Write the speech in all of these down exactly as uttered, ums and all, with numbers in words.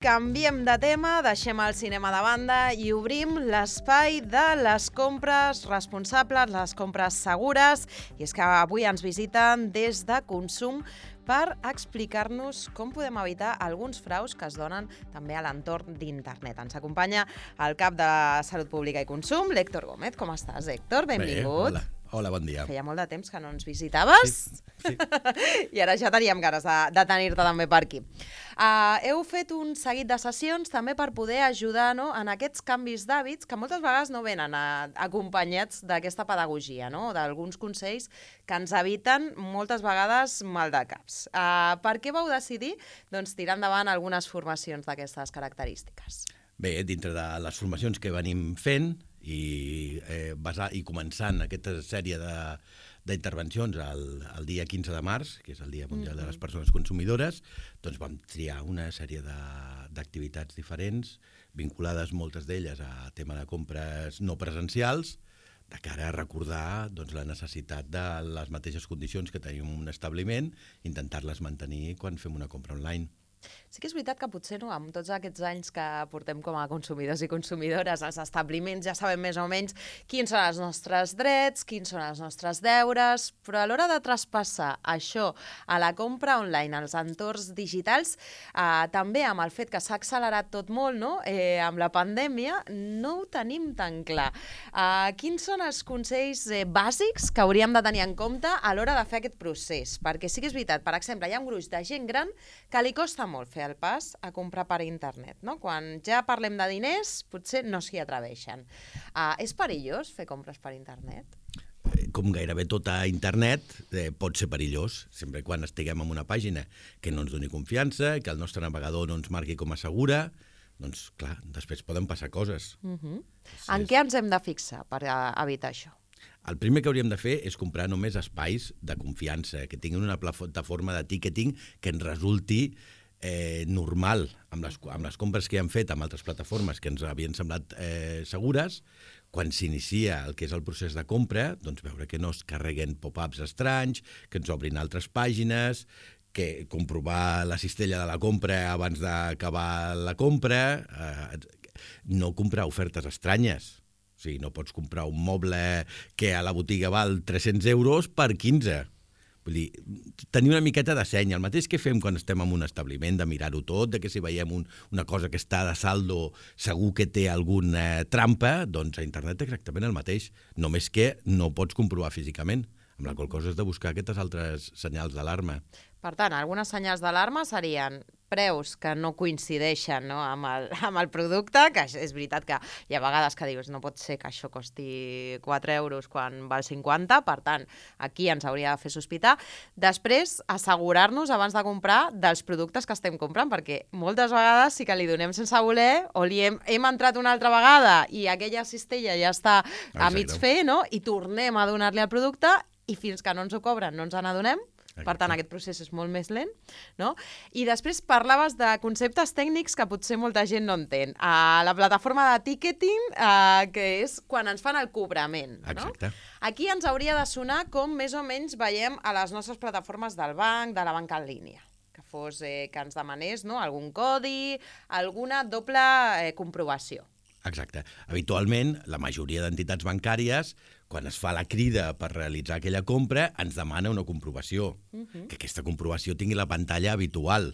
Canviem de tema, deixem el cinema de banda i obrim l'espai de les compres responsables, les compres segures. I és que avui ens visiten des de Consum per explicar-nos com podem evitar alguns fraus que es donen també a l'entorn d'internet. Ens acompanya el cap de Salut Pública i Consum, l'Héctor Gómez. Com estàs, Héctor? Benvingut. Bé, hola. Hola, bon dia. Feia molt de temps que no ens visitaves. Sí, sí. I ara ja teníem ganes de, de tenir-te també per aquí. Uh, heu fet un seguit de sessions també per poder ajudar, no?, en aquests canvis d'hàbits que moltes vegades no venen a, acompanyats d'aquesta pedagogia, no?, d'alguns consells que ens eviten moltes vegades maldecaps. Uh, per què vau decidir, doncs, tirar endavant algunes formacions d'aquestes característiques? Bé, dintre de les formacions que venim fent i, eh, basar, i començant aquesta sèrie de, d'intervencions el, el dia quinze de març, que és el Dia Mundial mm-hmm. de les Persones Consumidores, doncs vam triar una sèrie de, d'activitats diferents, vinculades moltes d'elles a tema de compres no presencials, de cara a recordar doncs, la necessitat de les mateixes condicions que tenim en un establiment, intentar-les mantenir quan fem una compra online. Sí que és veritat que potser no, amb tots aquests anys que portem com a consumidors i consumidores als establiments ja sabem més o menys quins són els nostres drets, quins són els nostres deures, però a l'hora de traspassar això a la compra online, als entorns digitals, eh, també amb el fet que s'ha accelerat tot molt, no?, eh, amb la pandèmia, no ho tenim tan clar. Eh, quins són els consells eh, bàsics que hauríem de tenir en compte a l'hora de fer aquest procés? Perquè sí que és veritat, per exemple, hi ha un gruix de gent gran que li costa molt fer el pas a comprar per internet, no? Quan ja parlem de diners, potser no s'hi atreveixen. Uh, és perillós fer compres per internet? Com gairebé tot a internet, eh, pot ser perillós, sempre quan estiguem en una pàgina que no ens doni confiança, que el nostre navegador no ens marqui com a segura, doncs, clar, després poden passar coses. Uh-huh. En què ens hem de fixar per uh, evitar això? El primer que hauríem de fer és comprar només espais de confiança, que tinguin una plataforma de ticketing que ens resulti eh, normal amb les, amb les compres que hem fet amb altres plataformes que ens havien semblat eh, segures. Quan s'inicia el que és el procés de compra, doncs veure que no es carreguen pop-ups estranys, que ens obrin altres pàgines, que comprovar la cistella de la compra abans d'acabar la compra, eh, no comprar ofertes estranyes. O sigui, no pots comprar un moble que a la botiga val tres-cents euros per quinze. Vull dir, tenir una miqueta de seny, el mateix que fem quan estem en un establiment, de mirar-ho tot, de que si veiem un, una cosa que està de saldo segur que té alguna trampa, doncs a internet exactament el mateix, només que no pots comprovar físicament, amb la qual cosa has de buscar aquestes altres senyals d'alarma. Per tant, algunes senyals d'alarma serien preus que no coincideixen, no?, amb, el, amb el producte, que és veritat que hi ha vegades que dius no pot ser que això costi quatre euros quan val cinquanta, per tant, aquí ens hauria de fer sospitar. Després, assegurar-nos abans de comprar dels productes que estem comprant, perquè moltes vegades sí que li donem sense voler o li hem, hem entrat una altra vegada i aquella cistella ja està a mig fer, no?, i tornem a donar-li el producte i fins que no ens ho cobren no ens n'adonem. Per tant, aquest procés és molt més lent, no? I després parlaves de conceptes tècnics que potser molta gent no entén. Uh, la plataforma de ticketing, uh, que és quan ens fan el cobrament, no? Exacte. Aquí ens hauria de sonar com més o menys veiem a les nostres plataformes del banc, de la banca en línia. Que fos, eh, que ens demanés, no?, algun codi, alguna doble eh, comprovació. Exacte. Habitualment, la majoria d'entitats bancàries, quan es fa la crida per realitzar aquella compra, ens demana una comprovació. Uh-huh. Que aquesta comprovació tingui la pantalla habitual,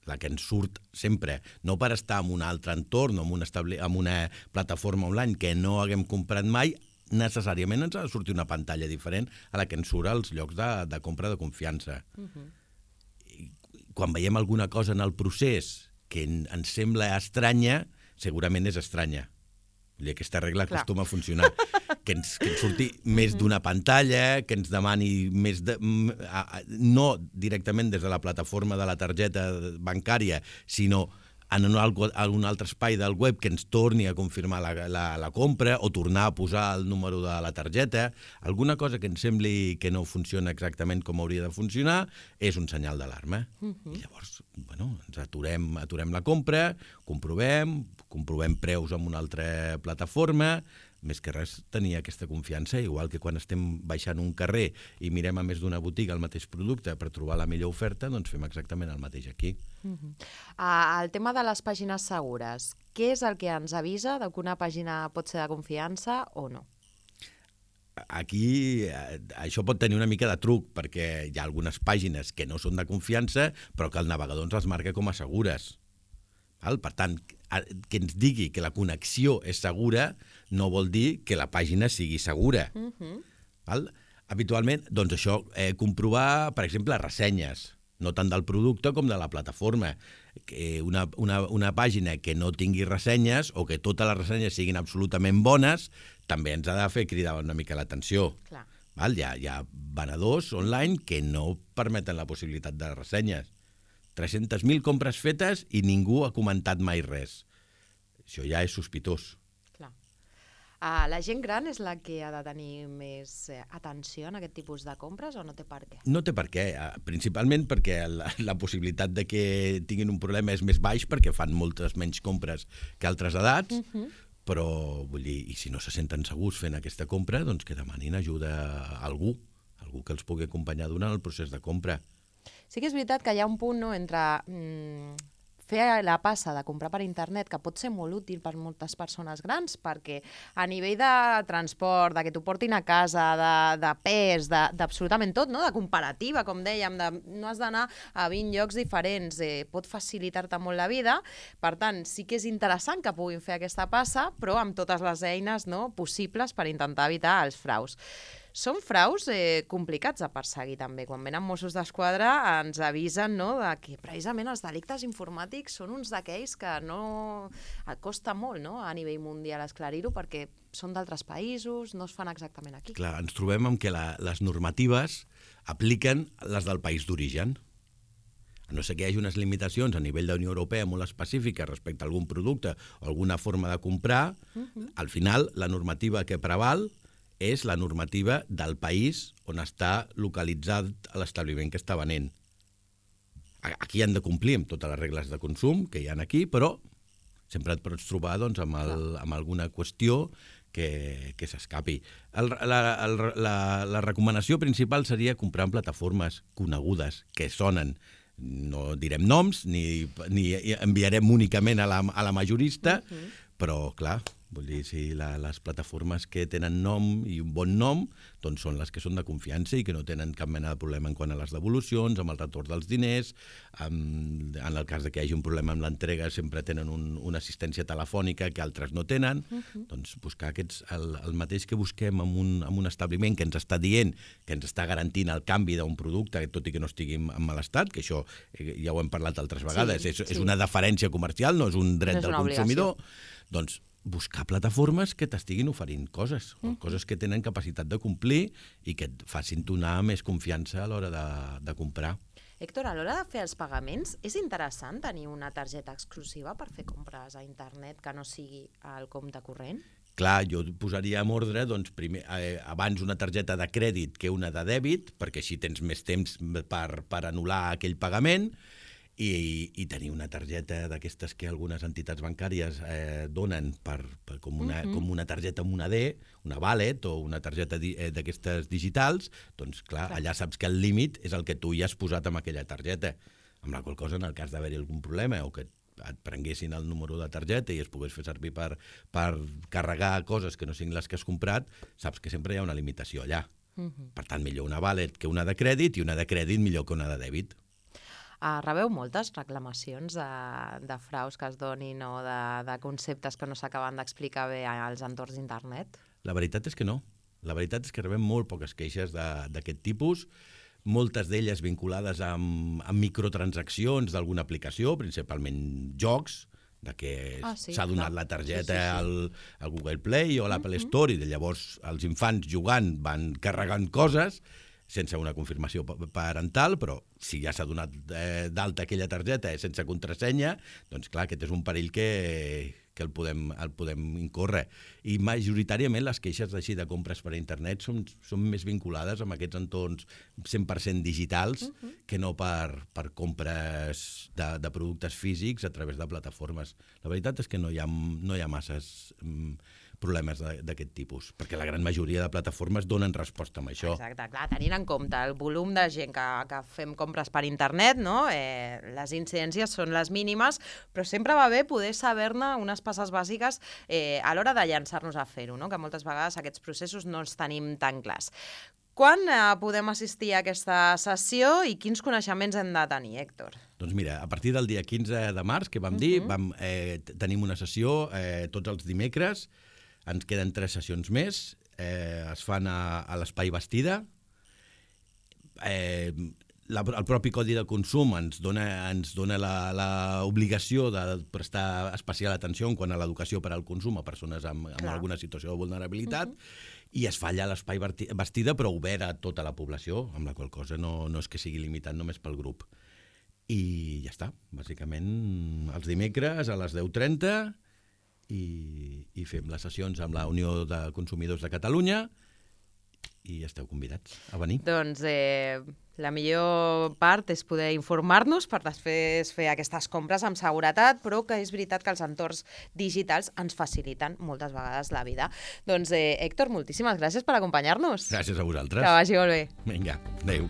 la que ens surt sempre. No per estar en un altre entorn o en una, establi- en una plataforma online que no haguem comprat mai, necessàriament ens ha de sortir una pantalla diferent a la que ens surt als llocs de, de compra de confiança. Uh-huh. Quan veiem alguna cosa en el procés que ens sembla estranya, segurament és estranya. I aquesta regla Clar. acostuma a funcionar. Que ens, que ens surti més d'una pantalla, que ens demani més de... no directament des de la plataforma de la targeta bancària, sinó en un, en un altre espai del web que ens torni a confirmar la, la, la compra o tornar a posar el número de la targeta. Alguna cosa que ens sembli que no funciona exactament com hauria de funcionar és un senyal d'alarma. Uh-huh. I llavors, bueno, ens aturem, aturem la compra, comprovem, comprovem preus en una altra plataforma, més que res tenir aquesta confiança, igual que quan estem baixant un carrer i mirem a més d'una botiga el mateix producte per trobar la millor oferta, doncs fem exactament el mateix aquí. Uh-huh. uh, el tema de les pàgines segures, què és el que ens avisa de que una pàgina pot ser de confiança o no? Aquí eh, això pot tenir una mica de truc, perquè hi ha algunes pàgines que no són de confiança, però que el navegador ens les marca com a segures. Val? Per tant, que ens digui que la connexió és segura no vol dir que la pàgina sigui segura. Uh-huh. Val? Habitualment, doncs això, eh, comprovar, per exemple, ressenyes, no tant del producte com de la plataforma. Que una, una, una pàgina que no tingui ressenyes o que totes les ressenyes siguin absolutament bones també ens ha de fer cridar una mica l'atenció. Clar. Val? Hi ha, hi ha venedors online que no permeten la possibilitat de ressenyes. tres-centes mil compres fetes i ningú ha comentat mai res. Això ja és sospitós. Clar. Uh, la gent gran és la que ha de tenir més eh, atenció en aquest tipus de compres o no té per què? No té per què, uh, principalment perquè la, la possibilitat de que tinguin un problema és més baix perquè fan moltes menys compres que altres edats, uh-huh. però vull dir, i si no se senten segurs fent aquesta compra, doncs que demanin ajuda a algú, algú que els pugui acompanyar durant el procés de compra. Sí que és veritat que hi ha un punt, no, entre mm, fer la passa de comprar per internet, que pot ser molt útil per moltes persones grans, perquè a nivell de transport, de que t'ho portin a casa, de, de pes, d'absolutament tot, no? De comparativa, com dèiem, de, no has d'anar a vint llocs diferents, eh, pot facilitar-te molt la vida. Per tant, sí que és interessant que puguin fer aquesta passa, però amb totes les eines, no, possibles per intentar evitar els fraus. Són fraus eh, complicats de perseguir també. Quan venen Mossos d'Esquadra ens avisen, no, de que precisament els delictes informàtics són uns d'aquells que no costa molt, no, a nivell mundial esclarir-ho perquè són d'altres països, no es fan exactament aquí. Clar, ens trobem amb que la, les normatives apliquen les del país d'origen. A no ser que hi hagi unes limitacions a nivell de Unió Europea molt específiques respecte a algun producte o alguna forma de comprar, uh-huh. al final la normativa que preval és la normativa del país on està localitzat l'establiment que està venent. Aquí han de complir amb totes les regles de consum que hi ha aquí, però sempre et pots trobar doncs, amb, el, amb alguna qüestió que, que s'escapi. El, la, el, la, la recomanació principal seria comprar en plataformes conegudes, que sonen. No direm noms, ni, ni enviarem únicament a la, a la majorista, uh-huh. però, clar, vull dir, si la, les plataformes que tenen nom i un bon nom doncs són les que són de confiança i que no tenen cap mena de problema en quant a les devolucions, amb el retorn dels diners, amb, en el cas de que hi hagi un problema amb l'entrega sempre tenen un, una assistència telefònica que altres no tenen, uh-huh. doncs buscar aquests, el, el mateix que busquem en un, en un establiment que ens està dient, que ens està garantint el canvi d'un producte, tot i que no estigui en mal estat, que això ja ho hem parlat altres vegades, sí, és, sí. és una deferència comercial, no és un dret no és del consumidor, obligació. Doncs buscar plataformes que t'estiguin oferint coses, mm. coses que tenen capacitat de complir i que et facin donar més confiança a l'hora de, de comprar. Héctor, a l'hora de fer els pagaments, és interessant tenir una targeta exclusiva per fer compres a internet que no sigui al compte corrent? Clar, jo posaria en ordre doncs, primer, eh, abans una targeta de crèdit que una de dèbit, perquè així tens més temps per, per anul·lar aquell pagament, I, i tenir una targeta d'aquestes que algunes entitats bancàries eh, donen per, per com, una, uh-huh. com una targeta amb una D, una wallet o una targeta di, eh, d'aquestes digitals, doncs clar, clar, allà saps que el límit és el que tu ja has posat amb aquella targeta, amb la qual cosa en el cas d'haver-hi algun problema o que et prenguessin el número de targeta i es pogués fer servir per, per carregar coses que no siguin les que has comprat, saps que sempre hi ha una limitació allà. Uh-huh. Per tant, millor una wallet que una de crèdit i una de crèdit millor que una de dèbit. Uh, rebeu moltes reclamacions de, de fraus que es donin o de, de conceptes que no s'acaben d'explicar bé als entorns d'internet? La veritat és que no. La veritat és que rebem molt poques queixes d'aquest tipus, moltes d'elles vinculades amb, amb microtransaccions d'alguna aplicació, principalment jocs, de que s'ha ah, sí, donat clar. la targeta sí, sí, sí. Al, al Google Play o a l'Apple Store uh-huh. i de llavors els infants jugant van carregant coses sense una confirmació parental, però si ja s'ha donat eh, d'alta aquella targeta sense contrasenya, doncs clar, aquest és un perill que, que el, podem, el podem incórrer. I majoritàriament les queixes així de compres per internet són, són més vinculades amb aquests entorns cent per cent digitals uh-huh. que no per, per compres de, de productes físics a través de plataformes. La veritat és que no hi ha, no hi ha masses mm, problemes d'aquest tipus, perquè la gran majoria de plataformes donen resposta amb això. Exacte, clar, tenint en compte el volum de gent que, que fem compres per internet, no? eh, les incidències són les mínimes, però sempre va bé poder saber-ne unes passes bàsiques eh, a l'hora de llançar-nos a fer-ho, no? Que moltes vegades aquests processos no els tenim tan clars. Quan eh, podem assistir a aquesta sessió i quins coneixements hem de tenir, Héctor? Doncs mira, a partir del dia quinze de març, que vam uh-huh. dir, vam, eh, tenim una sessió eh, tots els dimecres, ens queden tres sessions més, eh, es fan a, a l'Espai Bastida. Eh, la, el propi Codi de Consum ens dona, ens dona l'obligació de prestar especial atenció en quant a l'educació per al consum a persones amb, amb alguna situació de vulnerabilitat, uh-huh. i es fa allà a l'Espai Bastida, però obert a tota la població, amb la qual cosa no, no és que sigui limitat només pel grup. I ja està, bàsicament els dimecres a les deu trenta i, i fem les sessions amb la Unió de Consumidors de Catalunya i esteu convidats a venir. Doncs eh, la millor part és poder informar-nos per després fer aquestes compres amb seguretat, però que és veritat que els entorns digitals ens faciliten moltes vegades la vida. Doncs, eh, Héctor, moltíssimes gràcies per acompanyar-nos. Gràcies a vosaltres. Que vagi molt bé. Vinga, adéu.